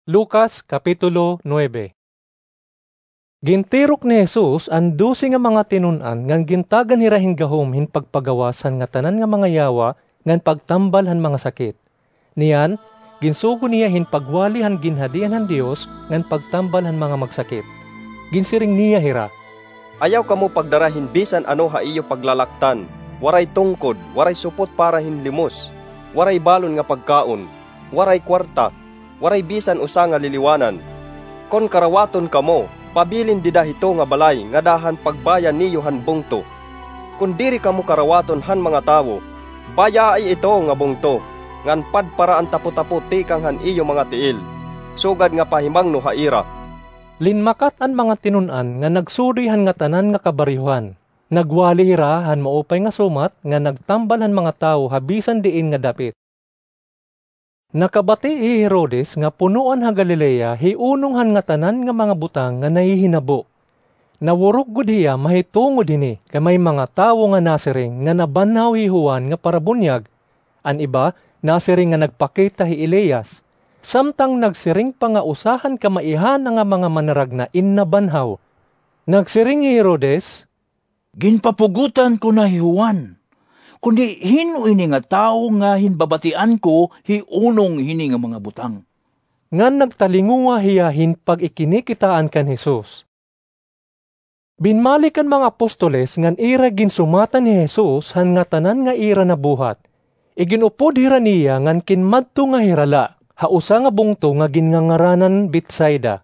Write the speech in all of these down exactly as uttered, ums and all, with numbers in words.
Lucas, Kapitulo nuebe. Gintirok ni Jesus an dose nga mga tinun-an ngan gintagan hira hin gahom hin pagpagawas han ngatanan nga mga yawa ngan pagtambal han mga sakit. Niyan, ginsugo niya hin pagwali han Ginhadian han Dios ngan pagtambal han mga magsakit. Ginsiring niya hira, "Ayaw kamo pagdara hin bisan ano ha iyo paglalaktan, waray tungkod, waray supot para hin limos, waray balon nga pagkaon, waray kuwarta, waray bisan usa nga liliwanan. Kon karawaton kamo, pabilin dida hito nga balay ngada han pagbaya niyo han bungto. Kon diri kamo karawaton han mga tawo, bayaai ito nga bungto, ngan padpara an tapotapo tikang han iyo mga tiil, sugad nga pahimangno ha ira." Linmakat an mga tinun-an nga nagsuroy han ngatanan nga kabaryohan. Nagwali hira han maupay nga sumat nga nagtambal han mga tawo ha bisan diin nga dapit. Nakabati hi Herodes nga punoan ha Galilea hi unong han ngatanan nga mga butang nga nahihinabo. Nawurog gud hiya mahitungod hini, kay may mga tawo nga nasiring nga nabanhaw hi Juan nga parabunyag. An iba nasiring nga nagpakita hi Elias. Samtang nagsiring pa nga usa han kamaihana nga mga manaragna in nabanhaw. Nagsiring hi Herodes, "Ginpapugotan ko na hi Juan. Kundi hin-o ini nga tawo nga hinbabatian ko hi unong hini nga mga butang?" Ngan nagtalinguha hiya hin pag-ikinikitaan kan Jesus. Binmalik an mga apostoles ngan ira ginsumatan hi Jesus han ngatanan nga ira nabuhat. Igin-upod hira niya ngan kinmadto nga hira la ha usa nga bungto nga ginngangaranan Betsaida.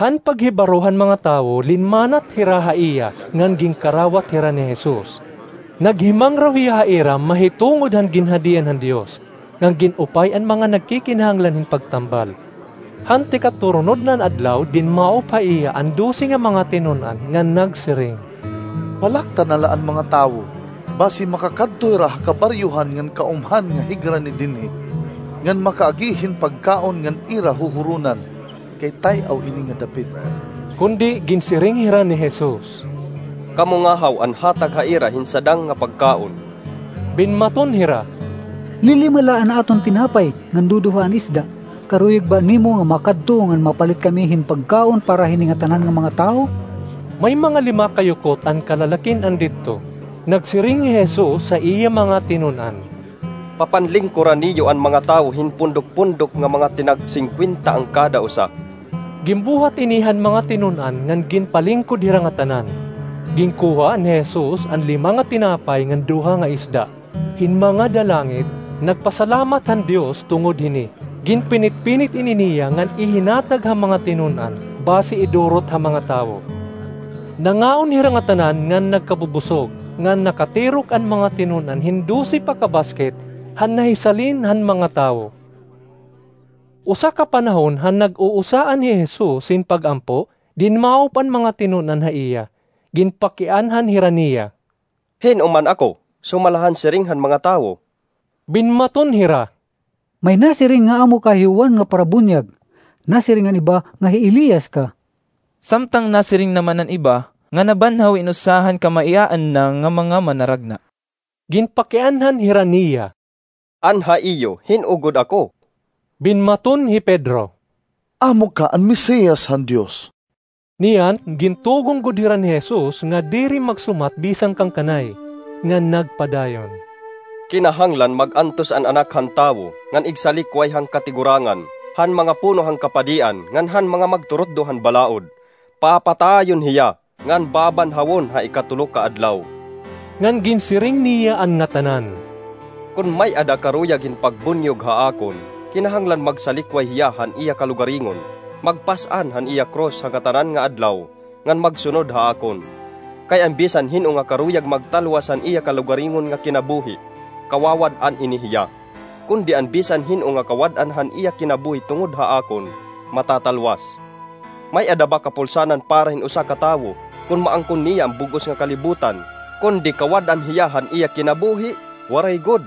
Han paghibaro han mga tawo, linmanat hira ha iya ngan ginkarawat hira ni Jesus. Naghimangraw hiya ha ira mahitungod han Ginhadian han Dios, ngan gin-upay an mga nagkikinahanglan hin pagtambal. Han tikaturnod na an adlaw, dinmaop ha iya an dose nga mga tinun-an ngan nagsiring, "Palakta na la an mga tawo, basi makakadto hira ha kabaryohan ngan kaumhan nga higrani dinhi, ngan makaagi hin pagkaon ngan ira huhuronan, kay tay-aw ini nga dapit." Kundi ginsiring hira ni Jesus, "Kamo ngahaw an hatag ha ira hin sadang nga pagkaon." Binmaton hira, "Lilima la an aton tinapay ngan duduha an isda. Karuyag ba nimo nga makadto ngan mapalit kami hin pagkaon para hini ngatanan nga mga tawo?" May mga limakayukot an kalalakin-an didto. Nagsiring hi Jesus ha iya mga tinun-an, "Papanlingkora niyo an mga tawo hin pundok-pundok nga mga tinag-singkwenta an kada usa." Ginbuhat ini han mga tinun-an ngan ginpalingkod hira ngatanan. Ginkuha ni Jesus an lima nga tinapay ngan duha nga isda. Hin mga dalangit, nagpasalamat han Dios tungod hini. Ginpinit-pinit ini niya ngan ihinatag ha mga tinun-an, basi idurot ha mga tawo. Nangaon hira ngatanan ngan nagkabubusog, ngan nakatirok an mga tinun-an hin dose pa ka basket han nahisalin han mga tawo. Usa ka panahon han nag-uusaan hi Jesus hin pag-ampo, dinmaop an mga tinun-an ha iya. Ginpakianhan hira niya, "Hin-o man ako, sumala han siring han mga tawo?" Binmaton hira, "May nasiring nga amo ka hi Juan nga Parabunyag, nasiring an iba nga hi Elias ka." Samtang nasiring naman an iba nga nabanhaw in usa han kamaiyaan na nga mga manaragna. Ginpakianhan hira niya, "An ha iyo, hin-o gud ako?" Binmaton hi Pedro, "Amo ka an Mesiyas han Dios." Niyan, gintugon gud hira ni Jesus nga diri magsumat bisan kan kanay, ngan nagpadayon, "Kinahanglan mag-antos an Anak han Tawo ngan igsalikway han katigurangan han mga puno han kapadian ngan han mga magturutdo han balaod. Papatayon hiya, ngan babanhawon ha ikatulo ka adlaw." Ngan ginsiring niya an ngatanan, "Kon may-ada karuyag hin pagbunyog ha akon, kinahanglan magsalikway hiya han iya kalugaringon, magpas-an han iya krus ha ngatanan nga adlaw, ngan magsunod ha akon. Kay an bisan hin-o nga karuyag magtalwas han iya kalugaringon nga kinabuhi, kawawad-an ini hiya. Kundi an bisan hin-o nga kawad-an han iya kinabuhi tungod ha akon, matatalwas. May-ada ba kapulsanan para hin usa ka tawo kon maangkon niya an bug-os nga kalibutan, kundi kawad-an hiya han iya kinabuhi? Waray gud.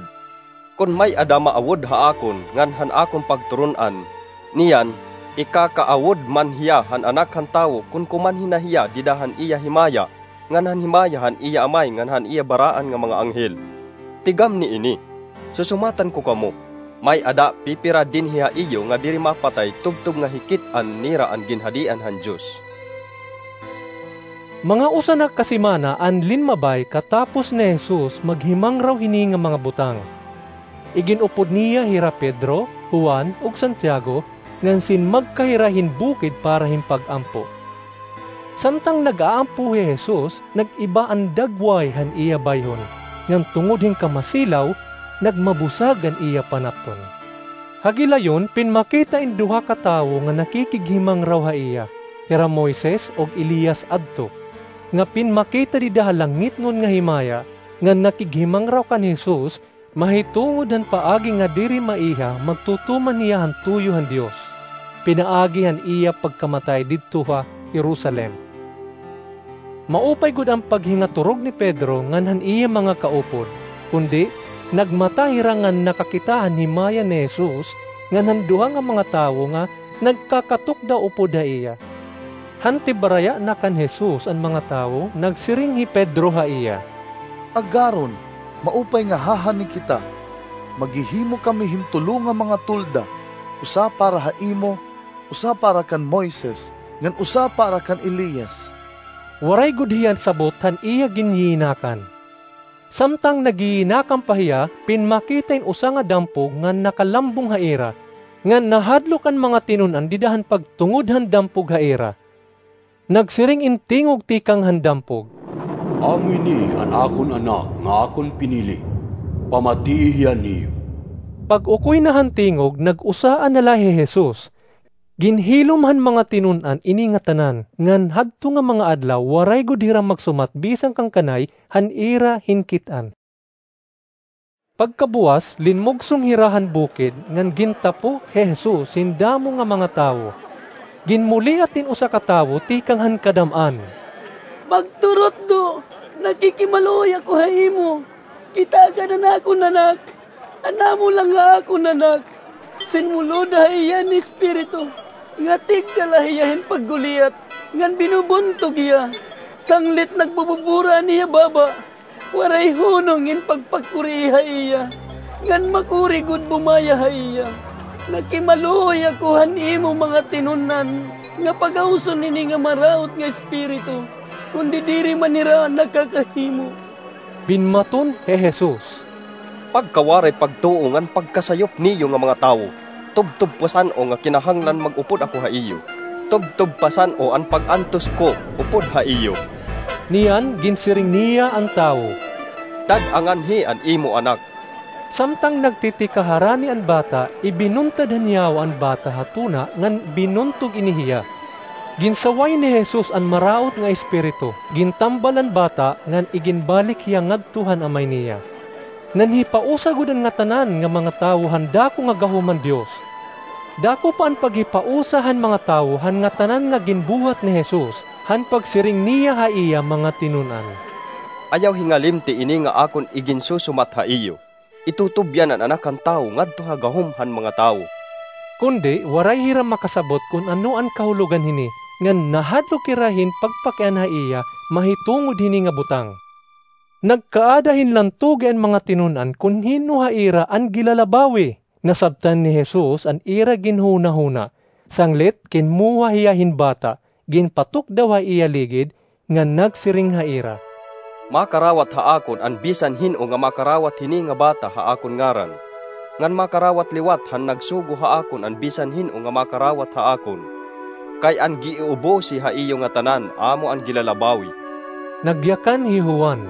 Kon may-ada maawod ha akon ngan han akon pagturon-an, niyan, ikakaawod man hiya han Anak han Tawo kon kumanhi na hiya dida han iya himaya, ngan han himaya han iya Amay ngan han iya baraan nga mga anghel. Tigamni ini, susumatan ko kamo, May-ada pipira dinhi ha iyo nga diri mapatay tubtob nga hikit-an nira an Ginhadian han Dios. Mga usa na ka semana an linmabay katapos ni Jesus maghimangraw hini nga mga butang. Igin-upod niya hira Pedro, Juan, ug Santiago, ngan sinmagka hira hin bukid para hin pag-ampo. Samtang nag-aampo hi Jesus, nag-iba an dagway han iya bayhon, ngan tungod hin kamasilaw, nagmabusag an iya panapton. Ha gilayon, pinmakita in duha ka tawo nga nakikighimangraw ha iya, hira Moises ug Elias adto, nga pinmakita dida ha langitnon nga himaya, nga nakighimangraw kan Jesus, mahitungod han paagi nga diri maiha magtutuman hiya han tuyo han Dios, pinaagi han iya pagkamatay didto ha Jerusalem. Maupay gud an paghingaturog ni Pedro ngan han iya mga kaupod, kundi nagmata hira ngan nakakita han himaya ni Jesus ngan han duha nga mga tawo nga nagkakatukdaw upod ha iya. Han tibaraya na kan Jesus an mga tawo, nagsiring hi Pedro ha iya, "Agaron, maupay nga hahani kita. Maghihimo kami hin tulo nga mga tolda, usa para ha imo, usa para kan Moises, ngan usa para kan Elias." Waray gud hiya sabot han iya ginyiyinakan. Samtang nagiinakan pa hiya, pinmakita in usa nga dampog nga nakalambong ha ira, ngan nahadlok an mga tinun-an dida han pagtungod han dampog ha ira. Nagsiring in tingog tikang han dampog, "Amo ini an akon Anak nga akon pinili. Pamatii hiya niyo." Pag-ukoy na han tingog, nag-usaan na la hi Jesus. Ginhilom han mga tinun-an ini nga tanan, ngan hadto nga mga adlaw waray gud hira magsumat bisan kan kanay han ira hinkit-an. Pagkabuwas, linmugsong hira han bukid, ngan gintapo hi Jesus hin damo nga mga tawo. Ginmuliat in usa ka tawo tikang han kadam-an, "Pagturutdo, nakikimaluoy ako ha imo. Kita gad an akon anak, an amo la nga akon anak. Sinmulod ha iya an espiritu nga tigda la hiya hin pagguliat, ngan binubuntog hiya. Sanglit nagbububura an iya baba. Waray hunong in pagpakurii ha iya, ngan makuri gud bumaya ha iya. Nakimaluoy ako han imo mga tinun-an nga pagawson ini nga maraot nga espiritu, kundi diri man hira nakakahimo." Binmaton hi Jesus, "Pagkawaray pagtuo ngan pagkasayop niyo nga mga tawo! Tubtob pasan-o nga kinahanglan mag-upod ako ha iyo. Tubtob pasan-o an pag-antos ko upod ha iyo." Niyan, ginsiring niya an tawo, "Dad-a nganhi an imo anak." Samtang nagtitikah harani an bata, ibinuntad han yawa an bata ha tuna ngan binuntog ini hiya. Ginsaway ni Jesus an maraot nga espiritu, gintambal an bata ngan iginbalik hiya ngadto han amay niya. Nanhipausa gud an ngatanan nga mga tawo han dako nga gahom han Dios. Dako pa an paghipausa han mga tawo han ngatanan nga ginbuhat ni Jesus, han pagsiring niya ha iya mga tinun-an, "Ayaw hingalimti ini nga akon iginsusumat ha iyo. Itutubyan an Anak han Tawo ngadto ha gahom han mga tawo." Kundi waray hira makasabot kon ano an kahulogan hini, ngan nahadlok hira hin pagpakiana ha iya mahitungod hini nga butang. Nagkaada hin lantugi an mga tinun-an kon hin-o ha ira an gilalabawi. Nasabtan ni Jesus an ira ginhunahuna. Sanglit, kinmuha hiya hin bata, ginpatukdaw ha iya ligid, ngan nagsiring ha ira, "Makarawat ha akon an bisan hin-o nga makarawat hini nga bata ha akon ngaran, ngan makarawat liwat han nagsugo ha akon an bisan hin-o nga makarawat ha akon. Kay an giiubosi ha iyo ngatanan amo an gilalabawi." Nagyakan hi Juan,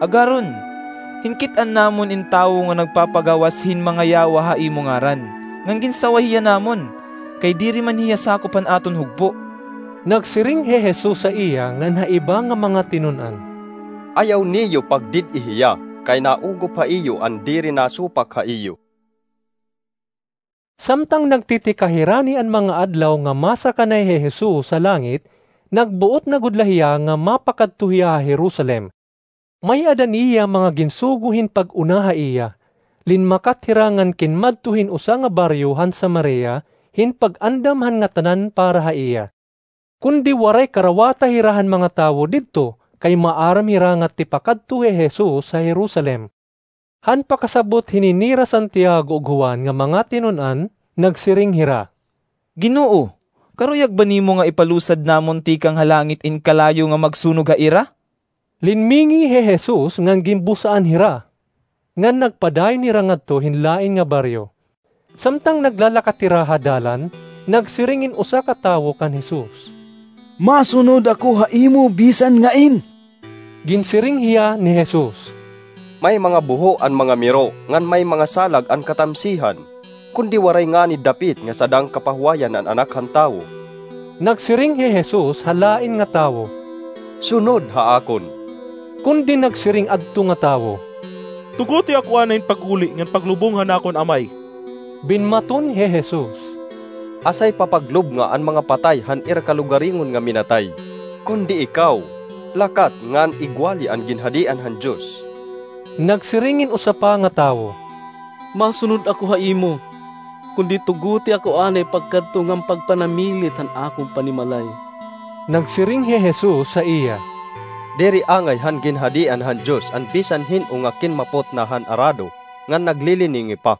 "Agaron, hinkit-an namon in tawo nga nagpapagawas hin mga yawa ha imo ngaran, ngan ginsaway hiya namon, kay diri man hiya sakop han aton hugpo." Nagsiring hi Jesus ha iya ngan ha iba nga mga tinun-an, "Ayaw niyo pagdid-i hiya, kay naugop ha iyo an diri nasupak ha iyo." Samtang nagtitikahirani an mga adlaw nga masakanay hi Jesus ha langit, nagbuot na gud la hiya nga mapakadto hiya ha Jerusalem. May-ada niya mga ginsugo hin pag-una ha iya. Linmakat hira ngan kinmadto hin usa nga baryo han Samaria hin pag-andam han ngatanan para ha iya. Kundi waray karawata hira han mga tawo didto, kay maaram hira nga tipakadto hi Jesus ha Jerusalem. Han pakasabot hini nira Santiago ug Juan nga mga tinun-an, nagsiring hira, "Ginoo, karuyag ba nimo nga ipalusad namon tikang ha langit in kalayo nga magsunog ha ira?" Linmingi hi Jesus ngan ginbusaan hira, ngan nagpadayon hira ngadto hin lain nga baryo. Samtang naglalakat hira ha dalan, nagsiring in usa ka tawo kan Jesus, "Masunod ako ha imo bisan ngain." Ginsiring hiya ni Jesus, "May mga buho an mga miro ngan may mga salag an katamsihan, kundi waray ngani dapit nga sadang kapahuwayan an Anak han Tawo." Nagsiring hi Jesus ha lain nga tawo, "Sunod ha akon." Kundi nagsiring adto nga tawo, "Tugoti ako anay hin pag-uli ngan paglubong han akon amay." Binmaton hi Jesus, "Asay papaglubnga an mga patay han ira kalugaringon nga minatay, kundi ikaw, lakat ngan igwali an Ginhadian han Dios." Nagsiring in usa pa nga tawo, "Masunod ako ha imo, kundi tugoti ako anay pagkadto ngan pagpanamilit han akon panimalay." Nagsiring hi Jesus ha iya, "Diri angay han Ginhadian han Dios an bisan hin-o nga kinmapot na han arado ngan nagliliningi pa."